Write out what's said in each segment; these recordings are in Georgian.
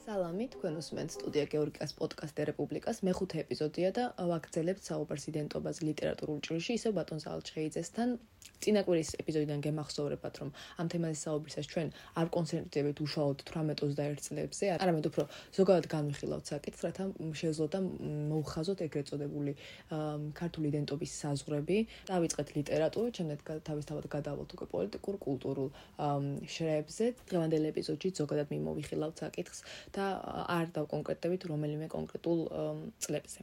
სალამი, თქვენ უსმენთ სტუდია გეორგიას პოდკასტ რესპუბლიკას მეხუთე ეპიზოდია და ვაგრძელებთ საუბარს იდენტობაზე ლიტერატურულ ჭრილში, ისევ ბატონ ზალჩხეიძესთან. წინა კვირის ეპიზოდიდან გემახსოვრებათ, რომ ამ თემაზე საუბრისას ჩვენ არ კონცენტრირდებით უშუალოდ 18-21 წლებზე, არამედ უფრო ზოგადად განვიხილავთ საკითხს, რათა შეეძლოთ და მოუხაზოთ ეგრეთ წოდებული ქართული იდენტობის საზღვრები. დავიწყეთ ლიტერატურით, შემდეგ თავისთავად გადავალთ უკვე პოლიტიკურ, კულტურულ შრეებზე. დღევანდელ ეპიზოდში ზოგადად მიმოვიხილავთ საკითხს და არ დავკონკრეტებით რომელიმე კონკრეტულ წლებზე.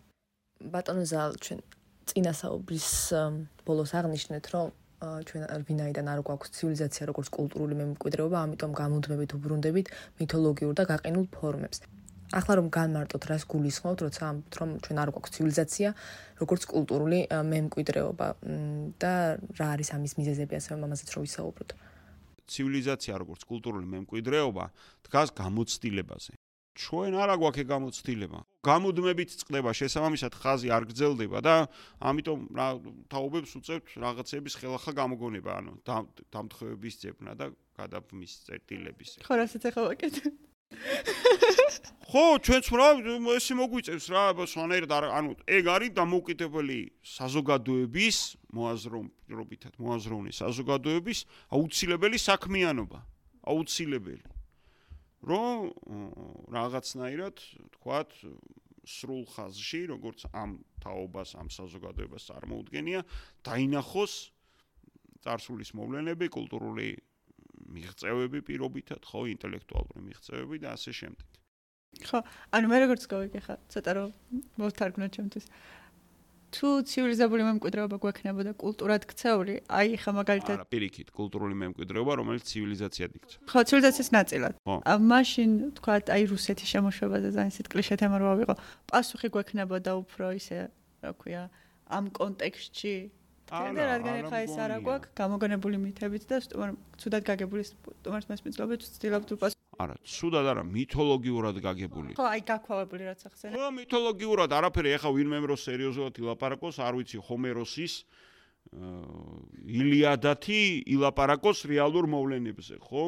ბატონო ზალ, ჩვენ წინა საუბრის ბოლოს აღნიშნეთ, რომ ჩვენ ვინაიდან არ გვაქვს ცივილიზაცია როგორც კულტურული მემკვიდრეობა, ამიტომ გამუდმებით უბრუნდებით მითოლოგიურ და გაყინულ ფორმებს. ახლა რომ განმარტოთ, რას გულისხმობთ, როცა ამბობთ, რომ ჩვენ არ გვაქვს ცივილიზაცია როგორც კულტურული მემკვიდრეობა და რა არის ამის მიზეზები, ასე ამაზეც რომ ვისაუბროთ. ცივილიზაცია როგორც კულტურული მემკვიდრეობა დგას გამოცდილებაზე. ჩვენ არა გვაქვს ეგ გამოცდილება. გამუდმებით წყდება, შესაბამისად ხაზი არ გრძელდება და ამიტომ რა თაობებს უწევთ რაღაცების ხელახლა გამოგონება, ანუ დამთხევების ძებნა და გადაბმის წერტილების. ხო, რასაც ახლა ვაკეთებ. ხო, ჩვენც რა ესე მოგვიწევს რა, სხვანაირად ანუ ეგ არის დამოუკიდებელი საზოგადოების მოაზროვნე საზოგადოების აუცილებელი საქმიანობა, აუცილებელი. რომ რაღაცნაირად, თქვათ, სრულ ხაზში, როგორც ამ თაობას, ამ საზოგადოებას წარმოუდგენია, დაინახოს წარსულის მოვლენები, კულტურული მიღწევები პირობითად, ხო, ინტელექტუალური მიღწევები და ასე შემდეგ. ხო, ანუ მე როგორც გავიგე ხა, ცოტა რომ მოვთარგმნოთ ჩემთვის. თუ ცივილიზებული მემკვიდრეობა გვექნებოდა კულტურად ქცეული, აი ხა მაგალითად არა, პირიქით, კულტურული მემკვიდრეობა, რომელიც ცივილიზაციად იქცა. ხო, ცივილიზაციის ნაწილად. მაშინ, თქვათ, აი რუსეთის შემოშვებაზე ძალიან სიტკლიშე თემა რო ავიღო, პასუხი გვექნებოდა უფრო ისე, რა ქვია, ამ კონტექსტში. და რადგან ხა ეს არა გვაქვს, გამოგონებული მითებით და ცუდად გაგებული სტუმარს მასწავლებლად ვცდილობთ უპასუხოთ. არა, ცუდად არა, მითოლოგიურად გაგებული. ხო, აი გაქვავებული რაც ახსენე. ხო, მითოლოგიურად არაფერი, ეხა ვინმე რო სერიოზულად ილაპარაკოს, არ ვიცი, ჰომეროსის ილიადათი ილაპარაკოს რეალურ მოვლენებზე, ხო?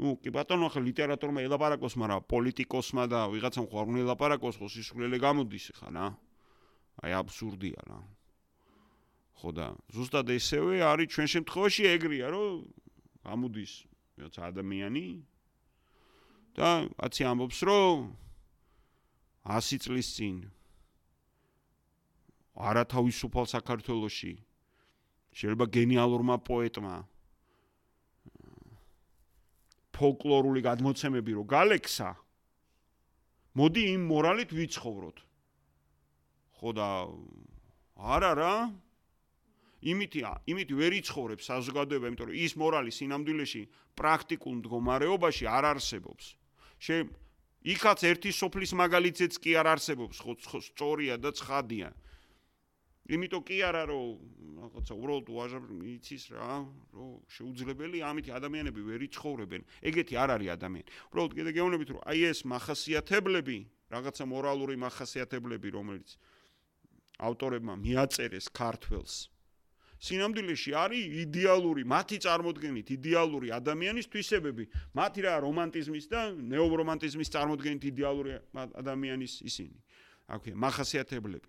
ნუ, კი ბატონო, ახლა ლიტერატურმა ილაპარაკოს, მაგრამ პოლიტიკოსმა და ვიღაცამ ხო არ უნდა ილაპარაკოს, ხო სისულელე გამოდის ხა რა. აი აბსურდია რა. ხო და ზუსტად ესევე არის ჩვენ შემთხვევაში ეგრეა, რომ გამოდის ვიღაცა ადამიანი და კაცი ამბობს, რომ 100 წლის წინ არათავისუფალ საქართველოში შეიძლება გენიალურმა პოეტმა ფოლკლორული გადმოცემები რო გალექსა, მოდი იმ მორალით ვიცხოვროთ. ხო და არა რა იმით ვერ იცხოვრებს საზოგადოება, იმიტომ რომ ის მორალი სინამდვილეში პრაქტიკულ მდგომარეობაში არ არსებობს. იქაც ერთი სოფლის მაგალითზეც კი არ არსებობს, ხო, სწორია და ცხადია. იმიტომ კი არა, რომ რაღაცა უბრალოდ იცის რა, რომ შეუძლებელი ამით ადამიანები ვერ იცხოვრებენ. ეგეთი არ არის ადამიანი. უბრალოდ კიდე გეუბნებით, რომ აი ეს მახასიათებლები, რაღაცა მორალური მახასიათებლები, რომელიც ავტორებმა მიაწერეს ქართველს, სინამდვილეში არის იდეალური, მათი წარმოდგენით იდეალური ადამიანის თვისებები. მათი რა რომანტიზმის და ნეორომანტიზმის წარმოდგენით იდეალური ადამიანის ისინი. აქვე მახასიათებლები.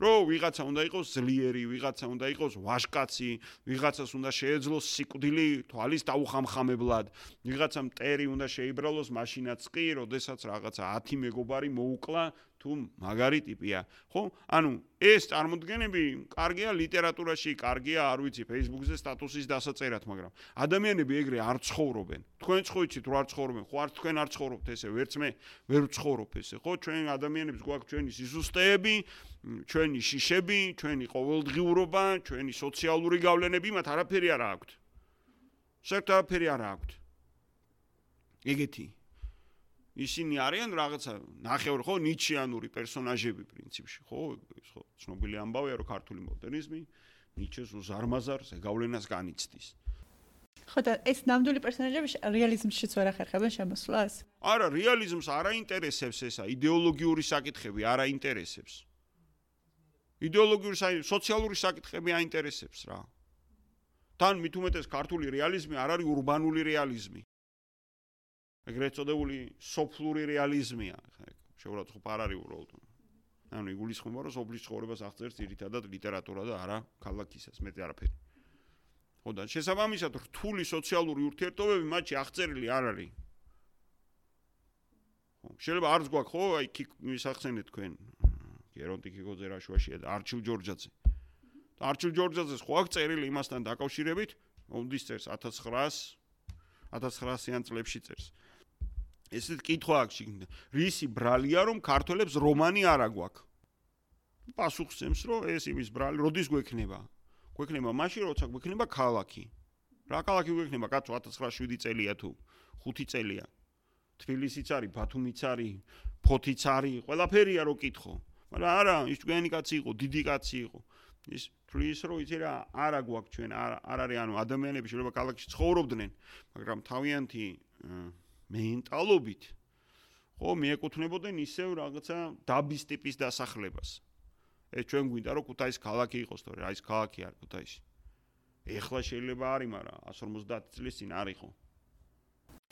რომ ვიღაცა უნდა იყოს ძლიერი, ვიღაცა უნდა იყოს ვაჟკაცი, ვიღაცას უნდა შეეძლოს სიკვდილი თვალის დაუხამხამებლად, ვიღაცა მტერი უნდა შეიბრალოს მაშინაც კი, როდესაც რაღაცა 10 მეგობარი მოუკლა, თუ მაგარი ტიპია. ხო? ანუ ეს წარმოდგენები კარგია ლიტერატურაში, კარგია, არ ვიცი, Facebook-ზე სტატუსის დასაწერად, მაგრამ ადამიანები ეგრე არ ცხოვრობენ. თქვენც ხო იცით, რომ არ ცხოვრობენ, ხო არც თქვენ არ ცხოვრობთ ესე, ვერც მე ვერ ვცხოვრობ ესე, ხო? ჩვენ ადამიანებს გვაქვს ჩვენი სიზუსტეები, ჩვენი შიშები, ჩვენი ყოველდღიურობა, ჩვენი სოციალური გავლენები, მათ არაფერი არ აქვთ. საერთოდ არაფერი არ აქვთ. ეგეთი ისინი არიან რაღაცა ნახევარ ხო ნიჩიანური პერსონაჟები პრინციპში, ხო? ხო, ცნობილი ამბავია, რომ ქართული მოდერნიზმი ნიჩეს უზარმაზარ ზეგავლენას განიცდის. ხო და ეს ნამდვილი პერსონაჟები რეალიზმშიც ვერ ახერხებენ შემოსვლას? არა, რეალიზმს არ აინტერესებს ესა, იდეოლოგიური საკითხები არ აინტერესებს. იდეოლოგიური სოციალური საკითხები აინტერესებს რა. თან მით უმეტეს ქართული რეალიზმი არ არის ურბანული რეალიზმი. ეგრეთ წოდებული სოფლური რეალიზმია. შეურაცხყოფ არ არის უბრალოდ. ანუ იგულისხმება, რომ სოფლის ცხოვრებას აღწერს ძირითადად ლიტერატურა და არა ქალაქისას, მეტი არაფერი. ხო და შესაბამისად რთული სოციალური ურთიერთობები მათში აღწერილი არ არის. ხო, შეიძლება არც გვაქვს, ხო, აი მისახსენეთ თქვენ გერონტი კიკოძე რაშვაშია და არჩილ ჯორჯაძე. და არჩილ ჯორჯაძეს ხო აქვს წერილი იმასთან დაკავშირებით, მომდის წერს 1900-იან წლებში წერს. ესეთ კითხვა აქვს შიგნით. რისი ბრალია რომ ქართველებს რომანი არ აგვაქვს? პასუხს ემს რომ ეს იმის ბრალი, როდის გვექნება? გვექნება მაშინ, როცა გვექნება ქალაქი. რა ქალაქი გვექნება? კაცო 1907 წელია თუ 5 წელია. თბილისიც არის, ბათუმიც არის, ფოთიც არის, ყველაფერია რო კითხო. მაგრამ არა, ის ჭკვიანი კაცი იყო, დიდი კაცი იყო. ის თulis რო იცი რა, არა გვაქვს ჩვენ, არ არის ანუ ადამიანები შეიძლება ქალაქში ცხოვრობდნენ, მაგრამ თავიანთი მენტალობით ხო მიეკუთვნებოდნენ ისევ რაღაცა დაბის ტიპის დასახლებას. ეს ჩვენ გვინდა რომ ქუთაისი ქალაქი იყოს, თორე რა ის ქალაქი არ ქუთაისი. ეხლა შეიძლება არის, მაგრამ 150 წლის წინ არ იყო.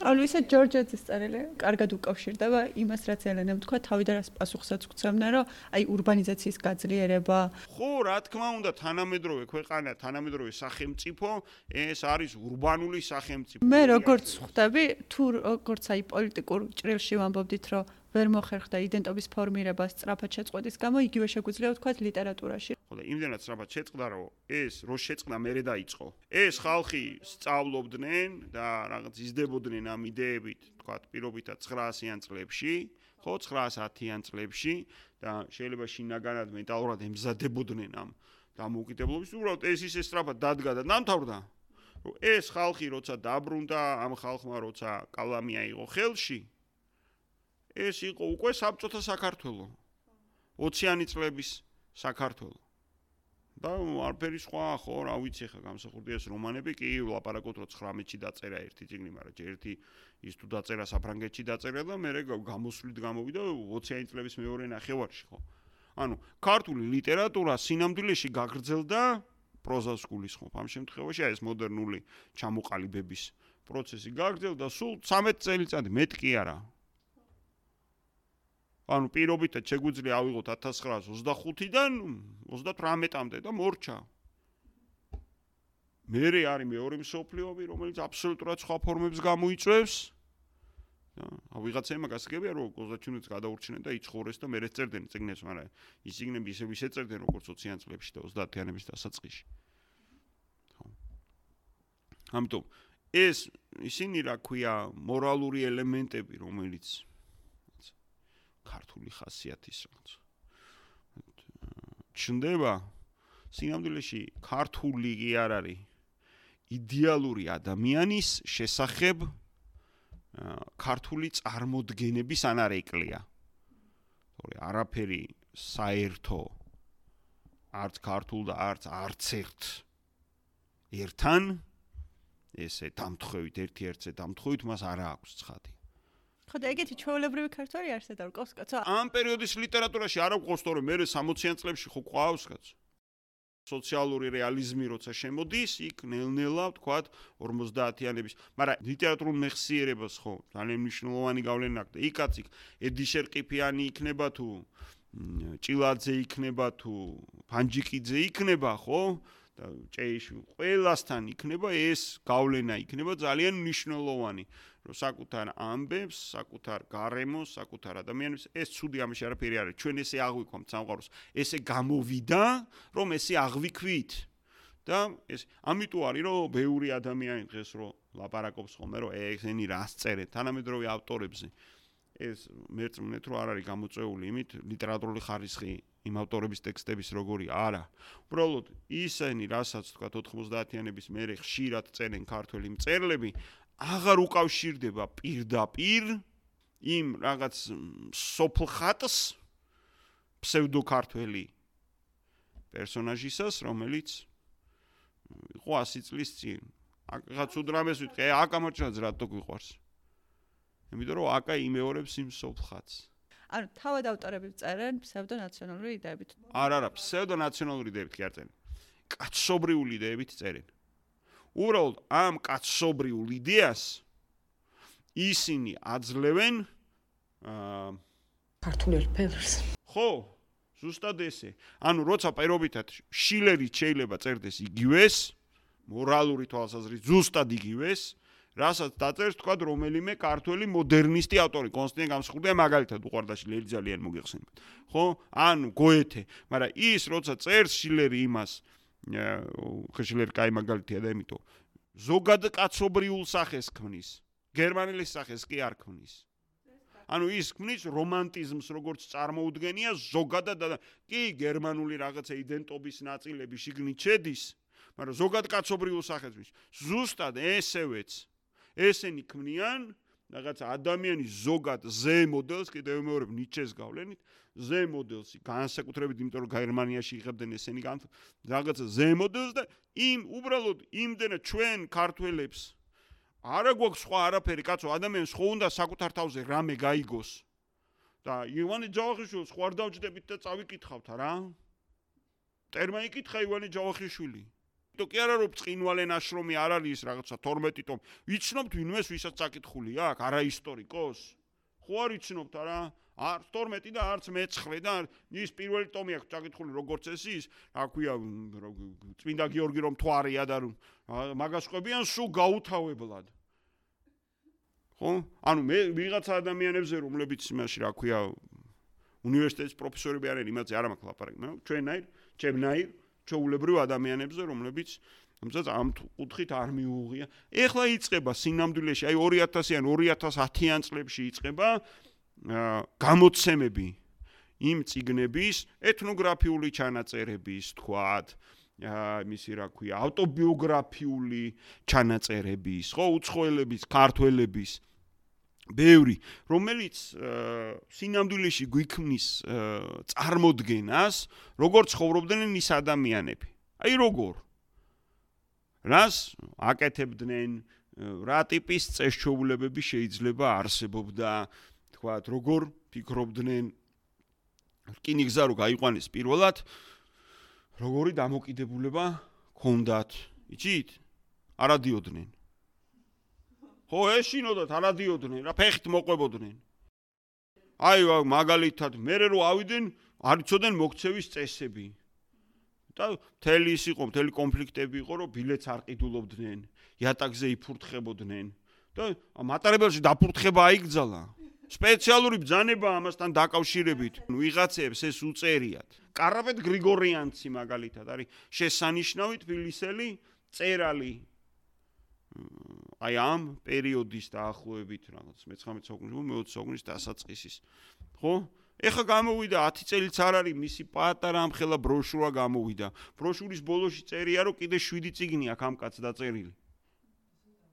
ანუ ისე ჯორჯაძის წერილი კარგად უკავშირდება იმას, რაც ელენემ თქვა, თავიდან რას პასუხსაც გვცემდნენ, რომ აი ურბანიზაციის გაძლიერება. ხო, რა თქმა უნდა, თანამედროვე ქვეყანა, თანამედროვე სახელმწიფო, ეს არის ურბანული სახელმწიფო. მე როგორც ხვდები, თუ როგორც აი პოლიტიკურ ჭრილში ვამბობდით, რომ ვერ მოხერხდა იდენტობის ფორმირება სწრაფად შეწყვეტის გამო, იგივე შეგვიძლია ვთქვათ ლიტერატურაში. ხო და იმდენად სწრაფად შეწყდა, რომ ეს რო შეწყდა, მერე დაიწყო. ეს ხალხი სწავლობდნენ და რაღაც იზრდებოდნენ ამ იდეებით, ვთქვათ, პირობითად 900-იან წლებში, ხო, 910-იან წლებში და შეიძლება შინაგანად მენტალურად ემზადებოდნენ ამ დამოუკიდებლობის. უბრალოდ ეს ისე სწრაფად დადგა და დამთავრდა, რომ ეს ხალხი როცა დაბრუნდა, ამ ხალხმა როცა კალამი აიღო ხელში, ეს იყო უკვე საბჭოთა საქართველო. 20-იანი წლების საქართველო. და არაფერი სხვა ხო, რა ვიცი ხა გამსახურდია ეს რომანები, კი ლაპარაკობთ რომ 19-ში დაწერა ერთი წიგნი, მაგრამ ერთი ის თუ დაწერა საფრანგეთში დაწერა და მე გამოსვლით გამოვიდა 20-იანი წლების მეორე ნახევარში ხო. ანუ ქართული ლიტერატურა სინამდვილეში გაგრძელდა პროზას გულისხმობ. ამ შემთხვევაში ეს მოდერნული ჩამოყალიბების პროცესი გაგრძელდა სულ 13 წელიწადი, მეტ კი არა. ანუ პირობითად შეგვიძლია ავიღოთ 1925-დან 38-მდე და მორჩა. მერე არის მეორე მსოფლიო ომი, რომელიც აბსოლუტურად სხვა ფორმებს გამოიწვევს. ვიღაცა იმას გასაგებია, რომ გოზაჩუნიც გადაურჩნენ და იცხოვრეს და მერე წერდნენ წიგნებს, მაგრამ ის წიგნები ისევ ეწერდნენ როგორც 20-იან წლებში და 30-იანების დასაწყისში. ხო. ამიტომ ეს ისინი რა ქვია, მორალური ელემენტები, რომელიც ქართული ხასიათის რაღაც ჩნდება სინამდვილეში ქართული კი არ არის იდეალური ადამიანის შესახებ ქართული წარმოდგენების ანარეკლია. თორე არაფერი საერთო არც ქართულ და არც ერთთან ესე დამთხევით ერთ-ერთზე დამთხევით მას არ აქვს ცხადი. ხო და ეგეთი ჩვეულებრივი ქართველი არსებდა რკოს კაცო. ამ პერიოდის ლიტერატურაში არ აქვს თორე მე 60-იან წლებში ხო ყავს კაცო. სოციალური რეალიზმი როცა შემოდის, იქ ნელ-ნელა ვთქვათ 50-იანების, მაგრამ ლიტერატურულ მეხსიერებას ხო ძალიან მნიშვნელოვანი გავლენა აქვს და იქაც ედიშერ ყიფიანი იქნება თუ ჭილაძე იქნება თუ ფანჯიკიძე იქნება ხო და ჭეიში ყველასთან იქნება ეს გავლენა იქნება ძალიან მნიშვნელოვანი. რომ საკუთარ ამბებს, საკუთარ გარემოს, საკუთარ ადამიანებს ეს ცუდი ამაში არაფერი არის. ჩვენ ესე აღვიქვამთ სამყაროს, ესე გამოვიდა, რომ ესე აღვიქვით. და ეს ამიტომ არის რომ ბევრი ადამიანი დღეს რომ ლაპარაკობს ხოლმე რომ ესენი რას წერენ თანამედროვე ავტორებზე. ეს მერწმუნეთ რომ არ არის გამოწვეული იმით ლიტერატურული ხარისხი იმ ავტორების ტექსტების როგორი არა. უბრალოდ ისინი რასაც თქვა 90-იანების მერე ხშირად წერენ ქართველი მწერლები აღარ უკავშირდება პირდაპირ იმ რაღაც სოფლხატს ფსევდოქართველი პერსონაჟისას, რომელიც იყო 100 წლის წინ. აკაც უდრამეს ვიტყვი, აკა მოჭრած რატო გვიყვარს? იმიტომ რომ აკა იმეორებს იმ სოფლხატს. ანუ თავად ავტორები წერენ ფსევდონაციონალური იდეებით. არა, ფსევდონაციონალური იდეებით კი არ წერენ. კაცობრიული იდეებით წერენ. უბრალოდ ამ კაცობრიულ იდეას ისინი აძლევენ ქართული ფერს. ხო, ზუსტად ესე. ანუ როცა პირობითად შილერი შეიძლება წერდეს იგივეს, მორალური თვალსაზრისით ზუსტად იგივეს, რასაც დაწერს თქვა რომელიმე ქართველი მოდერნისტი ავტორი, კონსტანტინ გამსხურდია მაგალითად უყვარდა შილერი ძალიან მოგეხსენებათ. ხო? ანუ გოეთე, მაგრამ ის როცა წერს შილერი იმას, შილერი კაი მაგალითია და იმიტომ ზოგად კაცობრიულ სახეს ქმნის. გერმანელის სახეს კი არ ქმნის. ანუ ის ქმნის რომანტიზმს როგორც წარმოუდგენია ზოგადად და კი გერმანული რაღაცა იდენტობის ნაწილები შიგნით შედის, მაგრამ ზოგად კაცობრიულ სახეს ქმნის. ზუსტად ესევეც ესენი ქმნიან რაღაცა ადამიანის ზოგად ზე მოდელს, კიდევ მეორებ ნიჩეს გავლენით, ზე მოდელს განსაკუთრებით იმიტომ რომ გერმანიაში იღებდნენ ესენი რაღაცა ზე მოდელს და იმ უბრალოდ იმდენად ჩვენ ქართველებს არა გვაქვს სხვა არაფერი, კაცო, ადამიანს ხო უნდა საკუთარ თავზე რამე გაიგოს. და ივანე ჯავახიშვილს ხო არ დავჯდებით და წავიკითხავთ რა? ტერმა იკითხა ივანე ჯავახიშვილი. თუ კი არა რომ წინვალე ნაშრომი არ არის რაღაცა 12 ტომი. ვიცნობთ ვინმეს ვისაც წაკითხული აქვს? არა ისტორიკოს? ხო არ ვიცნობთ არა? არც 12 და არც მე-9 და ის პირველი ტომი აქვს წაკითხული როგორც ეს ის, რა ქვია, წმინდა გიორგი რომ თვარია და მაგას ყვებიან სულ გაუთავებლად. ხო? ანუ მე ვიღაცა ადამიანებზე რომლებიც იმაში რა ქვია უნივერსიტეტის პროფესორები არიან, იმაზე არ მაქვს ლაპარაკი, მაგრამ ჩვენაირ, ჩემნაირ ჩაულებრივ ადამიანებზე, რომლებიც ამ კუთხით არ მიუღია. ეხლა იწყება სინამდვილეში, აი 2000-იან 2010-იან წლებში იწყება გამოცემები იმ წიგნების, ეთნოგრაფიული ჩანაწერების, თქვათ, მისი რა ქვია, ავტობიოგრაფიული ჩანაწერების, ხო, უცხოელების, ქართველების ბევრი, რომელიც სინამდვილეში გვიქმნის წარმოდგენას, როგორ ცხოვრობდნენ ის ადამიანები. აი როგორ? რას აკეთებდნენ, რა ტიპის წესჩვეულებები შეიძლება არსებობდა, თქვათ, როგორ ფიქრობდნენ, რკინიგზა რო გაიყვანეს პირველად, როგორი დამოკიდებულება ჰქონდათ, იცით? არადიოდნენ. ხო, ეშინოდათ, არადიოდნენ, რა ფეხით მოყვებოდნენ. აი, მაგალითად, მერე რო ავიდნენ, არ იცოდნენ მოქცევის წესები. და მთელი ის იყო, მთელი კონფლიქტები იყო, რომ ბილეთს არ ყიდულობდნენ, იატაკზე იფურთხებოდნენ და მატარებელში დაფურთხება აიგზალა. სპეციალური ბრძანება ამასთან დაკავშირებით. ვიღაცებს ეს უწერიათ. კარაპეტ გრიგორიანცი მაგალითად არის შესანიშნავი თბილისელი წერალი. აი ამ პერიოდის დაახლოებით რაღაც 19 საუკუნის, 20 საუკუნის დასაწყისის. ხო? ეხა გამოვიდა 10 წელიც არ არის მისი პატარა ამხელა ბროშურა გამოვიდა. ბროშურის ბოლოში წერია რომ კიდე 7 წიგნი აქვს ამ კაცს დაწერილი.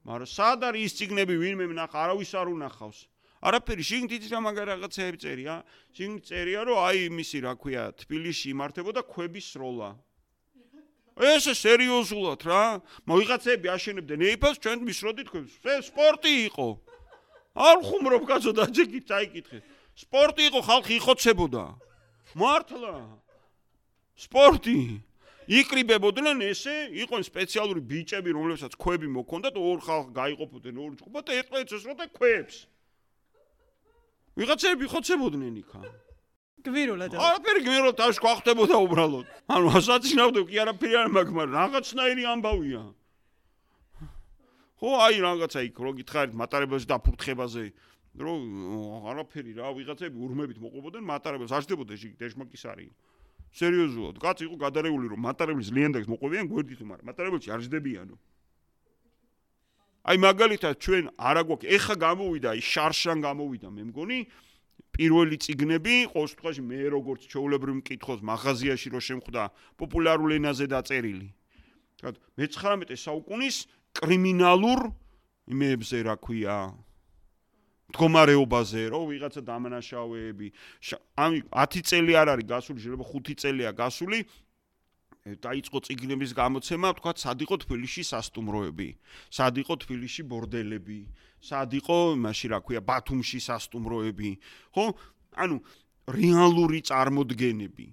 მაგრამ სად არის ის წიგნები ვინმე ნახა, არავის არ უნახავს. არაფერი შიგნით იცი რა მაგარ რაღაცეები წერია. შიგნით წერია რომ აი მისი რა ქვია თბილისში იმართებოდა ქვების სროლა. ესე სერიოზულად რა. ვიღაცები აშენებდნენ ეიფელს, ჩვენ მისროდით ქვებს. სპორტი იყო. არ ხუმრობ კაცო დაჯეკით წაიკითხე. სპორტი იყო, ხალხი იხოცებოდა. მართლა. სპორტი. იკრიბებოდნენ ესე, იყვნენ სპეციალური ბიჭები, რომლებსაც ქვები მოქონდათ, ორ ხალხი გაიყოფოდნენ ორ ჯგუფად და ერთმანეთს ესროდა ქვებს. ვიღაცები იხოცებოდნენ იქა. გვირულად. არაფერი გვირულად თავს გვახდებოდა უბრალოდ. ანუ ასაცინავდე კი არაფერი არ მაქვს, მაგრამ რაღაცნაირი ამბავია. ხო, აი რაღაცა იქ რო გითხარით მატარებელში დაფურთხებაზე, რომ არაფერი რა, ვიღაცები ურმებით მოყვებოდნენ მატარებელს, აღდებოდა ეშმაკის არის. სერიოზულად, კაცი იყო გადარეული რომ მატარებლის ლიანდაგს მოყვებიან გვერდით, მაგრამ მატარებელში არ ჯდებიანო. აი მაგალითად ჩვენ არა გვაქვს, ეხა გამოვიდა, ის შარშან გამოვიდა, მე მგონი პირველი წიგნები, ყოველ შემთხვევაში მე როგორც ჩვეულებრივ მკითხოს მაღაზიაში რო შემხვდა პოპულარულ ენაზე დაწერილი. მე-19 საუკუნის კრიმინალურ იმებზე რა ქვია მდგომარეობაზე, რომ ვიღაცა დამნაშავეები, 10 წელი არ არის გასული, შეიძლება 5 წელია გასული დაიწყო წიგნების გამოცემა, თქვა, სად იყო თბილისში სასტუმროები, სად იყო თბილისში ბორდელები, სად იყო, მაშინ რა ქვია, ბათუმში სასტუმროები, ხო? ანუ რეალური წარმოდგენები.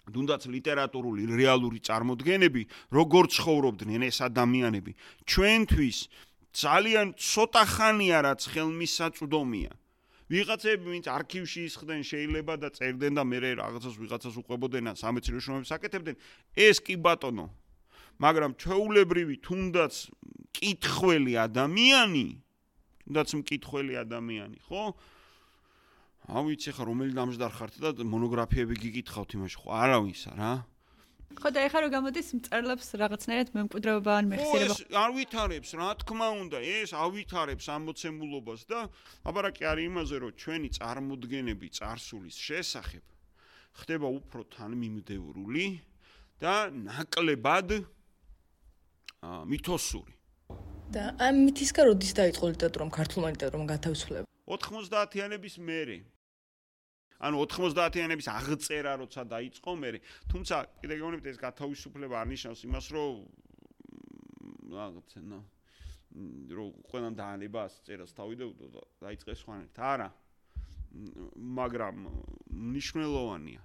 თუნდაც ლიტერატურული რეალური წარმოდგენები, როგორ ცხოვრობდნენ ეს ადამიანები, ჩვენთვის ძალიან ცოტა ხანია რაც ხელმისაწვდომია. ვიღაცები ვინც არქივში ისხდნენ შეიძლება და წერდნენ და მე რაღაცას ვიღაცას უყვებოდნენ ან სამეცნიერო შრომებს აკეთებდნენ, ეს კი ბატონო. მაგრამ ჩვეულებრივი თუნდაც მკითხველი ადამიანი, ხო? ავიცი ხა რომელი დამჯდარ ხართ და მონოგრაფიები გიკითხავთ იმაში, ხო? არავისა რა. ხო და ეხლა რო გამოდის მწერლებს რაღაცნაირად მემკვიდრეობა ან მეხსიერება. არ ვითარებს, რა თქმა უნდა, ეს ავითარებს ამოცემულობას და აბარაკი არის იმაზე, რომ ჩვენი წარმოდგენები წარსულის შესახებ ხდება უფრო თანმიმდევრული და ნაკლებად მითოსური. და ამ მითისგან როდის დაიწყო ლიტერატურამ, ქართულმა ლიტერატურამ გათავისუფლება? 90-იანების მერე. ანუ 90-იანების აღწერა როცა დაიწყო მერე, თუმცა კიდე გეუბნებით ეს გათავისუფლება არ ნიშნავს იმას, რომ რაღაცა რომ ყველან დაანება წერას თავიდეუდო და დაიწყეს სხვანაირად. არა. მაგრამ მნიშვნელოვანია.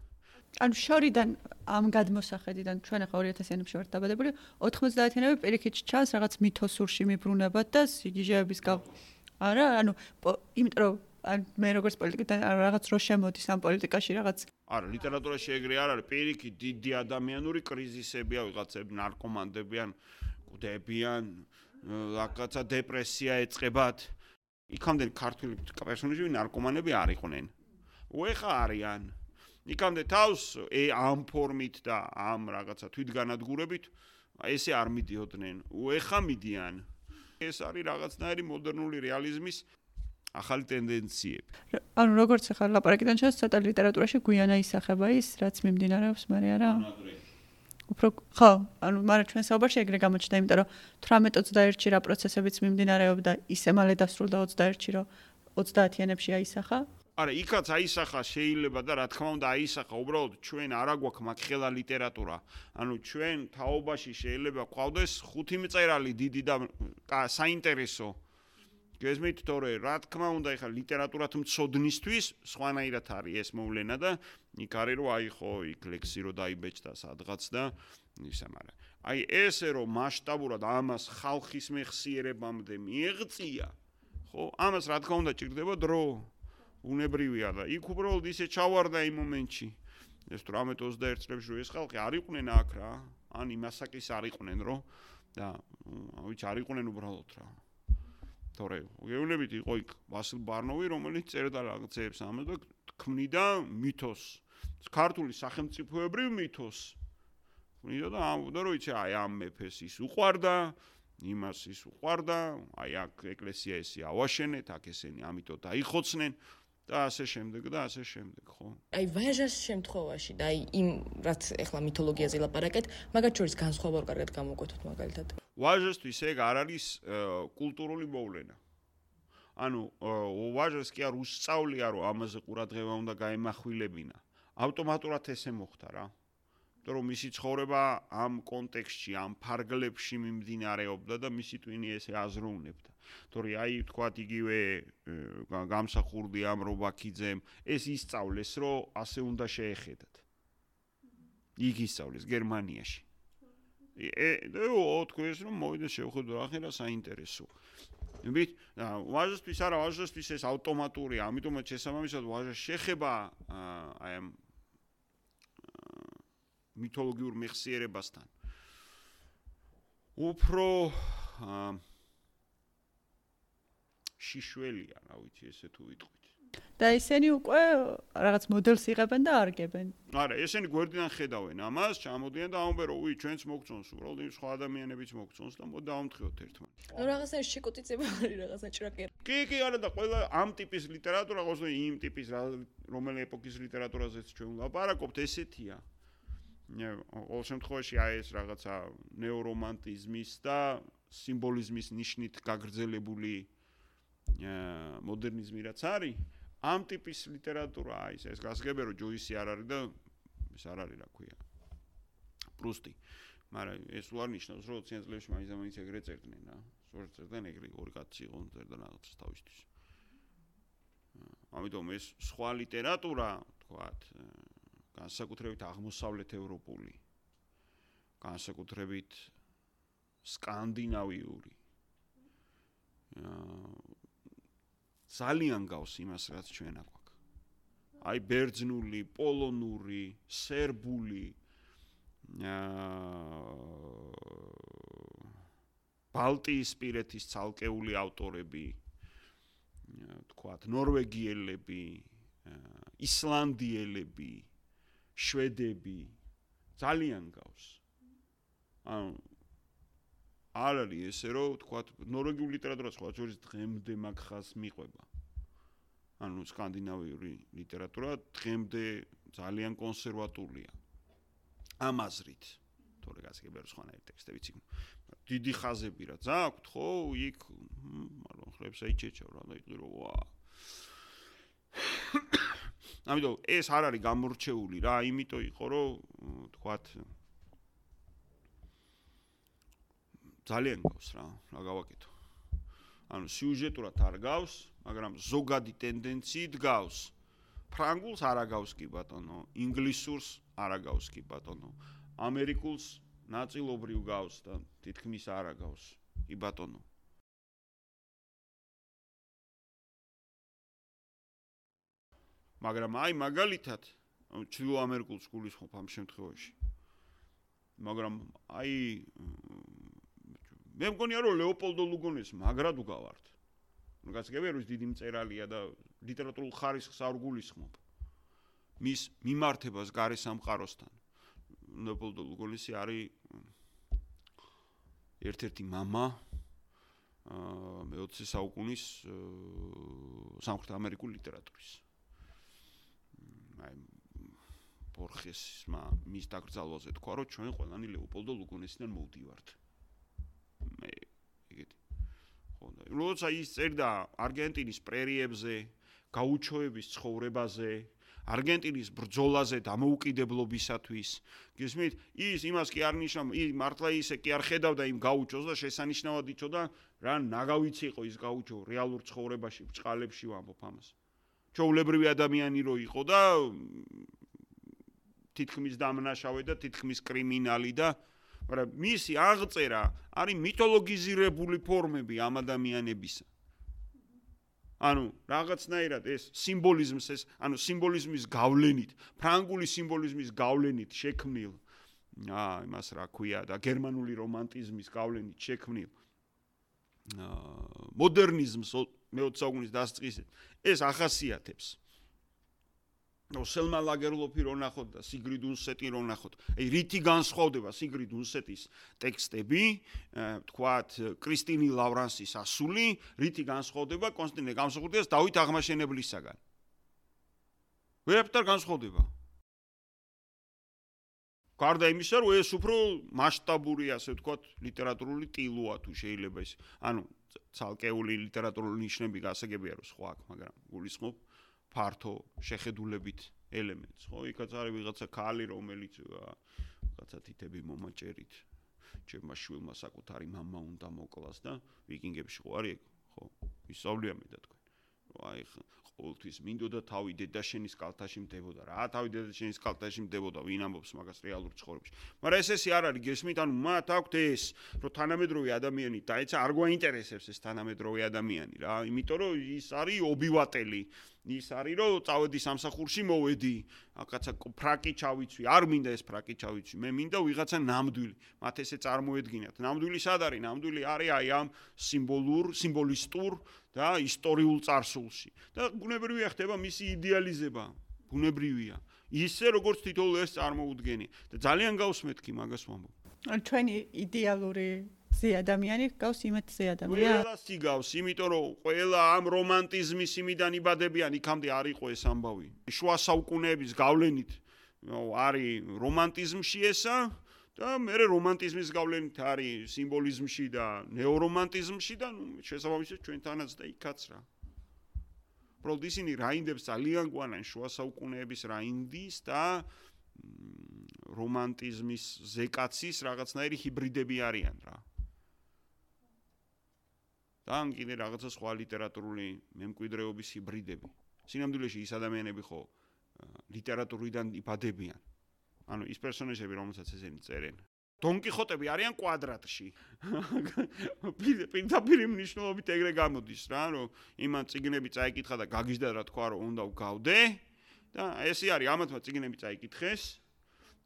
ანუ შორიდან ამ გადმოსახედიდან ჩვენ ახლა 2000-იანებში ვართ დაბადებული, 90-იანები პირიქით ჩანს რაღაც მითოსურში მიბრუნებად და სიგიჟეების არა, ანუ იმიტომ რომ მე როგორც პოლიტიკიდან რაღაც რო შემოდის ამ პოლიტიკაში რაღაც არა, ლიტერატურაში ეგრე არ არის, პირიქით დიდი ადამიანური კრიზისებია, ვიღაცები ნარკომანები ან კვდებიან, რაღაცა დეპრესია ეწყებათ. იქამდე ქართული პერსონაჟები ნარკომანები არ იყვნენ. უეხა არიან. იქამდე თავს ამ ფორმით და ამ რაღაცა თვითგანადგურებით ესე არ მიდიოდნენ. უეხა მიდიან. ეს არის რაღაცნაირი მოდერნული რეალიზმის ახალი ტენდენციები. ანუ როგორც ახლა ლაპარაკიდან ჩანს, ცოტა ლიტერატურაში გვიანა ისახება ის, რაც მიმდინარეობს, მაგრამ არა. უფრო ხო, ანუ მაგრამ ჩვენ საუბარში ეგრე გამოჩნდა, იმიტომ რომ 18-21-ში რა პროცესებიც მიმდინარეობდა, ისე მალე დასრულდა 21-ში, რომ 30-იანებში აისახა. არა, იქაც აისახა შეიძლება და რა თქმა უნდა აისახა, უბრალოდ ჩვენ არა გვაქვს მაგხელა ლიტერატურა. ანუ ჩვენ თაობაში შეიძლება გვყავდეს 5 მწერალი დიდი და საინტერესო. გესმით, თორე რა თქმა უნდა ეხლა ლიტერატურათ მცოდნისთვის სხვანაირად არის ეს მოვლენა და იქ არის რომ აი ხო იქ ლექსი რო დაიბეჭდა სადღაც და ისა, მაგრამ აი ესე რომ მასშტაბურად ამას ხალხის მეხსიერებამდე მიეღწია, ხო? ამას რა თქმა უნდა ჭირდება დრო. უნებრივია და იქ უბრალოდ ისე ჩავარდა იმ მომენტში. ეს 18-21 წლებში რო ეს ხალხი არ იყვნენ აქ რა, ან იმასაკის არ იყვნენ რო და ვიცი არ იყვნენ უბრალოდ რა. თორე გეუბნებით იყო იქ ვასილ ბარნოვი, რომელიც წერდა რაღაცებს ამას და ქმნიდა მითოსს. ქართული სახელმწიფოებრივ მითოსს. ქმნიდა და ამბობდა რომ იცი აი ამ მეფეს ის უყვარდა, იმას ის უყვარდა, აი აქ ეკლესია ესე ავაშენეთ, აქ ესენი ამიტომ დაიხოცნენ. და ასე შემდეგ და ასე შემდეგ, ხო? აი ვაჟას შემთხვევაში და აი იმ რაც ახლა მითოლოგიაზე ლაპარაკეთ, მაგათ შორის განსხვავება კარგად გამოვკვეთოთ მაგალითად. ვაჟასთვის ეგ არ არის კულტურული მოვლენა. ანუ ვაჟას კი არ უსწავლია რომ ამაზე ყურადღება უნდა გაემახვილებინა. ავტომატურად ესე მოხდა რა. იმიტომ რომ მისი ცხოვრება ამ კონტექსტში, ამ ფარგლებში მიმდინარეობდა და მისი ტვინი ესე აზროვნებდა. თორე აი თქვათ იგივე გამსახურდი ამრობაქიძემ ეს ისწავლეს რომ ასე უნდა შეეხედათ. იქ ისწავლეს გერმანიაში. თქვენს რომ მოვიდა შევხედო ახლა საინტერესო. ვით, ვაჟასთვის არა, ვაჟასთვის ეს ავტომატურია, ამიტომაც შესაბამისად ვაჟას შეხება აი ამ მითოლოგიურ მეხსიერებასთან. უფრო შიშველია, რა ვიცი, ესე თუ ვიტყვით. და ისინი უკვე რაღაც მოდელს იღებენ და არგებენ. არა, ესენი გვერდიდან ხედავენ ამას, ჩამოდიან და ამბობენ, რომ ჩვენც მოგწონს, უბრალოდ იმ სხვა ადამიანებიც მოგწონს და მოდი დავამთხევოთ ერთმანეთს. ნუ რაღაცა შეკუტიწება არის, რაღაცა ჭრაკი. კი, არა და ყველა ამ ტიპის ლიტერატურა, ყოველთვის იმ ტიპის რომელი ეპოქის ლიტერატურაზეც ჩვენ ვლაპარაკობთ, ესეთია. ყოველ შემთხვევაში აი ეს რაღაცა ნეორომანტიზმის და სიმბოლიზმის ნიშნით გაგრძელებული მოდერნიზმი რაც არის, ამ ტიპის ლიტერატურა არის ეს გასაგებია რომ ჯოისი არ არის და ეს არ არის რა ქვია პრუსტი. მაგრამ ეს უარ ნიშნავს, რომ 20-იან წლებში მაინც ეგრე წერდნენ რა. სწორედ წერდნენ ეგრე ორი კაცი იყო წერდა რაღაცას თავისთვის. ამიტომ ეს სხვა ლიტერატურა, თქვათ, განსაკუთრებით აღმოსავლეთ ევროპული, განსაკუთრებით სკანდინავიური ძალიან გავს იმას, რაც ჩვენ აქვთ. აი ბერძნული, პოლონური, სერბული, ბალტიისპირეთის ცალკეული ავტორები, თქვათ, ნორვეგიელები, ისლანდიელები, შვედები ძალიან გავს. ანუ არ არის ესე რომ თქვათ ნორვეგიული ლიტერატურა სხვა შორის დღემდე მაგ ხაზს მიყვება. ანუ სკანდინავიური ლიტერატურა დღემდე ძალიან კონსერვატულია. ამ აზრით, თორე გასაგებია სხვანაირი ტექსტებიც იქ. დიდი ხაზები რა ძაქვთ, ხო, იქ მაგრამ ხლებს აიჩეჩავ რა, დაიყვირო, ვა. ამიტომ ეს არ არის გამორჩეული რა, იმიტომ იყო რომ თქვათ ძალიან გავს რა გავაკეთო. ანუ სიუჟეტურად არ გავს, მაგრამ ზოგადი ტენდენციით გავს. ფრანგულს არ აგავს კი ბატონო, ინგლისურს არ აგავს კი ბატონო. ამერიკულს ნაწილობრივ გავს და თითქმის არ აგავს კი ბატონო. მაგრამ აი მაგალითად ჩრდილო ამერიკულს გულისხმობ ამ შემთხვევაში. მაგრამ აი მე მგონია რომ ლეოპოლდო ლუგონეს მაგრად უგავართ. ნუ გასაგებია რომ ის დიდი მწერალია და ლიტერატურულ ხარისხს არ გულისხმობ. მის მიმართებას გარე სამყაროსთან. ლეოპოლდო ლუგონესი არის ერთ-ერთი мама მე-20 საუკუნის სამხრეთ ამერიკული ლიტერატურის. აი ბორხესმა მის დაკრძალვაზე თქვა რომ ჩვენ ყველანი ლეოპოლდო ლუგონესიდან მოვდივართ. მე ეგეთი. ხო და როცა ის წერდა არგენტინის პრერიებზე, გაუჩოების ცხოვრებაზე, არგენტინის ბრძოლაზე დამოუკიდებლობისათვის, გესმით? ის იმას კი არ ნიშნავ, ის მართლა ისე კი არ ხედავდა იმ გაუჩოს და შესანიშნავად იცოდა რა ნაგავიც იყო ის გაუჩო რეალურ ცხოვრებაში, ბჭყალებში ვამბობ ამას. ჩვეულებრივი ადამიანი რო იყო და თითქმის დამნაშავე და თითქმის კრიმინალი და მაგრამ მისი აღწერა არის მითოლოგიზირებული ფორმები ამ ადამიანებისა. ანუ რაღაცნაირად ეს სიმბოლიზმს ეს, ანუ სიმბოლიზმის გავლენით, ფრანგული სიმბოლიზმის გავლენით შექმნილ იმას რა ქვია და გერმანული რომანტიზმის გავლენით შექმნილ მოდერნიზმს მე-20 საუკუნის დასაწყისით ეს ახასიათებს. სელმა ლაგერლოფი რო ნახოთ და სიგრიდ უნსეტი რო ნახოთ. აი რითი განსხვავდება სიგრიდ უნსეტის ტექსტები, თქვათ კრისტინი ლავრანსის ასული, რითი განსხვავდება კონსტანტინე გამსახურდიას დავით აღმაშენებლისაგან. ვერაფერ განსხვავდება. გარდა იმისა, რომ ეს უფრო მასშტაბური, ასე ვთქვათ, ლიტერატურული ტილოა თუ შეიძლება ის. ანუ ცალკეული ლიტერატურული ნიშნები გასაგებია რომ სხვა აქვს, მაგრამ გულისხმობ ფართო შეხედულებით ელემენტს, ხო? იქაც არის ვიღაცა ქალი, რომელიც ვიღაცა თითები მომაჭერით ჩემმა შვილმა საკუთარი მამა უნდა მოკლას და ვიკინგებში ხო არის ეგ, ხო? ისწავლია მე და თქვენ. აი ყოველთვის მინდოდა თავი დედაშენის კალთაში მდებოდა რა, თავი დედაშენის კალთაში მდებოდა, ვინ ამბობს მაგას რეალურ ცხოვრებაში. მაგრამ ეს არ არის, გესმით, ანუ მათ აქვთ ეს, რომ თანამედროვე ადამიანი დაეცა არ გვაინტერესებს ეს თანამედროვე ადამიანი რა, იმიტომ რომ ის არის ობივატელი. ის არის რომ წავედი სამსახურში მოვედი, აკაცა ფრაკი ჩავიცვი, არ მინდა ეს ფრაკი ჩავიცვი, მე მინდა ვიღაცა ნამდვილი. მათ ესე წარმოედგინათ. ნამდვილი სად არის? ნამდვილი არის აი ამ სიმბოლისტურ და ისტორიულ წარსულში. და ბუნებრივია ხდება მისი იდეალიზება, ბუნებრივია. ისე როგორც თითოეულ ეს წარმოუდგენია. და ძალიან გავსმეთქი მაგას ვამბობ. ჩვენი იდეალური ზე ადამიანი გავს იმათზე ადამიანი. ყველა სიგავს, იმიტომ რომ ყველა ამ რომანტიზმის იმიდან იბადებიან, იქამდე არ იყო ეს ამბავი. შუა საუკუნეების გავლენით არის რომანტიზმში ესა და მე რომანტიზმის გავლენით არის სიმბოლიზმში და ნეორომანტიზმში და შესაბამისად ჩვენთანაც და იქაც რა. უბრალოდ ისინი რაინდებს ძალიან გვანან შუა საუკუნეების რაინდის და რომანტიზმის ზეკაცის რაღაცნაირი ჰიბრიდები არიან რა. და ან კიდე რაღაცა სხვა ლიტერატურული მემკვიდრეობის ჰიბრიდები. სინამდვილეში ის ადამიანები ხო ლიტერატურიდან იბადებიან. ანუ ის პერსონაჟები, რომელსაც ესენი წერენ. დონ კიხოტები არიან კვადრატში. პირდაპირ მნიშვნელობით ეგრე გამოდის რა, რომ იმან წიგნები წაიკითხა და გაგიჟდა რა თქვა, რომ უნდა ვგავდე და ესე არის, ამათმა წიგნები წაიკითხეს.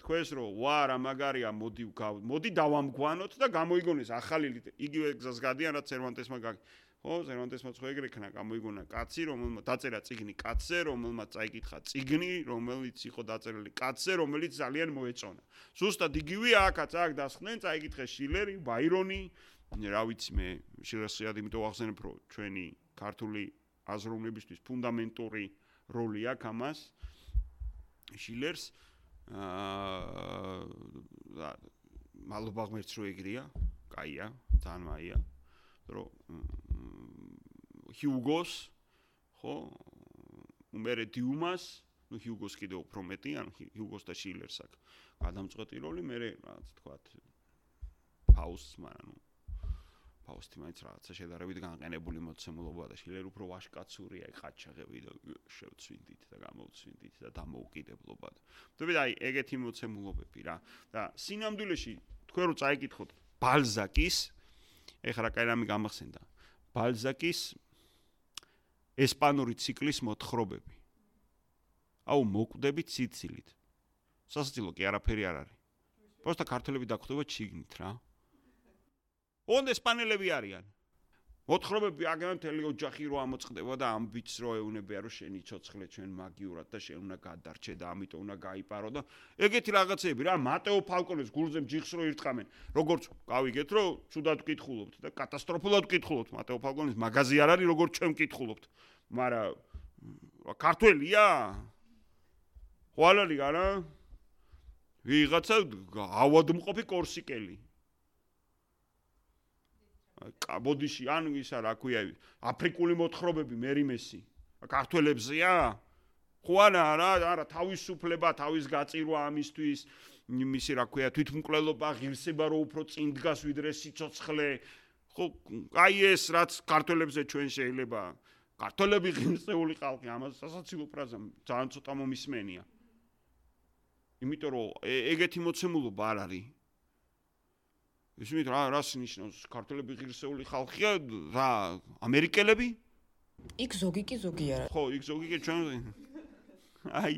თქვენს რომ ვა რა მაგარია, მოდი დავამგვანოთ და გამოიგონეს ახალი იგივე გზას გადიან რაც სერვანტესმა ხო, სერვანტესმაც ხო ეგრე იქნა, გამოიგონა კაცი, რომელმაც დაწერა წიგნი კაცზე, რომელმაც წაიკითხა წიგნი, რომელიც იყო დაწერილი კაცზე, რომელიც ძალიან მოეწონა. ზუსტად იგივე აქაც აქ დასხდნენ, წაიკითხეს შილერი, ბაირონი, რა ვიცი მე, შილერს იმიტომ ახსენებ, რომ ჩვენი ქართული აზროვნებისთვის ფუნდამენტური როლი აქვს ამას. შილერს მალობა ღმერთს რო ეგრეა, კაია, ძალიან მაია, რომ ჰიუგოს, ხო, უმერე დიუმას, ну ჰიუგოს კიდე უფრო მეტი, ან ჰიუგოს და შილერს აქვს გადამწყვეტი როლი, მე რაღაც თქვათ ფაუსტს, მაგრამ ფაუსტი მაინც რაღაცა შედარებით განყენებული მოცემულობა და შილერ უფრო ვაშკაცურია, ხაჩაღები და შევცვინდით და გამოვცვინდით და დამოუკიდებლობა. ვთქვი, აი ეგეთი მოცემულობები რა. და სინამდვილეში თქვენ რო წაიკითხოთ ბალზაკის, ეხლა რა კაი რამე გამახსენდა. ბალზაკის ესპანური ციკლის მოთხრობები. აუ მოკვდებით სიცილით. სასაცილო კი არაფერი არ არის. პროსტა ქართველები დაგვხვდება ჩიგნით რა. ონ ესპანელები არიან. მოთხრობები აგემ მთელი ოჯახი რო ამოწყდება და ამ ბიჭს რო ეუნებია რომ შენი ცოცხლე ჩვენ მაგიურად და შენ უნდა გადარჩე და ამიტომ უნდა გაიპარო და ეგეთი რაღაცები რა მატეო ფალკონეს გულზე ჯიხს რო ირტყამენ. როგორც გავიგეთ რომ ცუდად ვკითხულობთ და კატასტროფულად ვკითხულობთ მატეო ფალკონის მაგაზი არ არის როგორც ჩვენ ვკითხულობთ. მაგრამ ქართველია? ხო არ არის არა? ვიღაცა ავადმყოფი კორსიკელი. კაბოდიში ან ისა რა ქვია აფრიკული მოთხრობები მერიმესი ქართველებზეა ხო არა თავისუფლება თავის გაწირვა ამისთვის მისი რა ქვია თვითმკვლელობა ღირსება რო უფრო წინ დგას ვიდრე სიცოცხლე ხო აი ეს რაც ქართველებზე ჩვენ შეიძლება ქართველები ღირსეული ხალხი ამას სასაცილო ფრაზა ძალიან ცოტა მომისმენია იმიტომ რომ ეგეთი მოცემულობა არ არის ისმით რას ნიშნავს ქართველები ღირსეული ხალხია რა ამერიკელები იქ ზოგი კი ზოგი არა ხო იქ ზოგი კი ჩვენ აი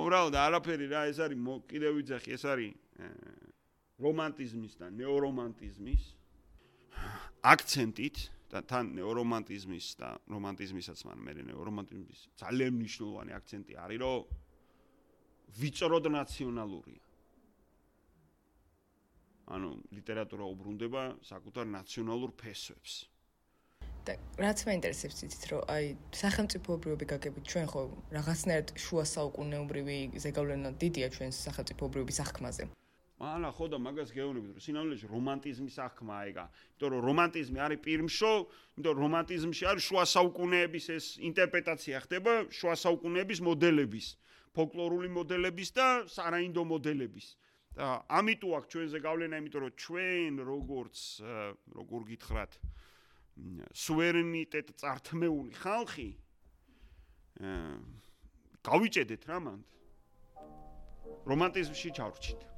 უბრალოდ არაფერი რა ეს არის კიდევ ვიძახი ეს არის რომანტიზმის და ნეორომანტიზმის აქცენტით და თან ნეორომანტიზმის და რომანტიზმისაც მე ნეორომანტიზმის ძალიან მნიშვნელოვანი აქცენტი არის რომ ვიწროდ ნაციონალურია ანუ ლიტერატურა უბრუნდება საკუთარ ნაციონალურ ფესვებს. და რაც მაინტერესებს იცით რომ აი სახელმწიფოებრიობი გაგებით ჩვენ ხო რაღაცნაირად შუა საუკუნეობრივი ზეგავლენა დიდია ჩვენს სახელმწიფოებრიობის აღქმაზე. ალა ხო და მაგას გეუბნებით რომ სინამდვილეში რომანტიზმის აღქმაა ეგა. იმიტომ რომ რომანტიზმი არის პირმშო, იმიტომ რომ რომანტიზმში არის შუა საუკუნეების ეს ინტერპრეტაცია ხდება შუა საუკუნეების მოდელების, ფოლკლორული მოდელების და სარაინდო მოდელების. და ამიტომ აქ ჩვენზე გავლენა, იმიტომ რომ ჩვენ როგორ გითხრათ, სუვერენიტეტ წართმეული ხალხი გავიჭედეთ რა მანდ. რომანტიზმში ჩავრჩით.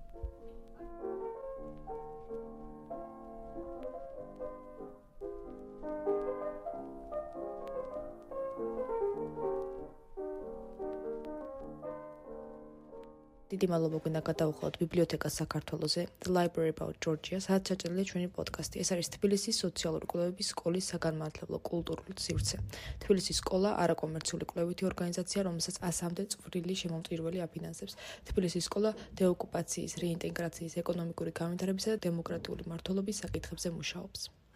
დიდი მადლობა გინდა გადავხოთ ბიბლიოთეკას საქართველოზე The Library About Georgia, სადაც ჩაჭრილია ჩვენი პოდკასტი. ეს არის თბილისის სოციალური კვლევების სკოლის საგანმანათლებლო კულტურული სივრცე. თბილისის სკოლა არაკომერციული კვლევითი ორგანიზაცია, რომელსაც 100-მდე წვრილი შემომწირველი აფინანსებს. თბილისის სკოლა დეოკუპაციის, რეინტეგრაციის, ეკონომიკური განვითარებისა და დემოკრატიული მმართველობის საკითხებზე მუშაობს.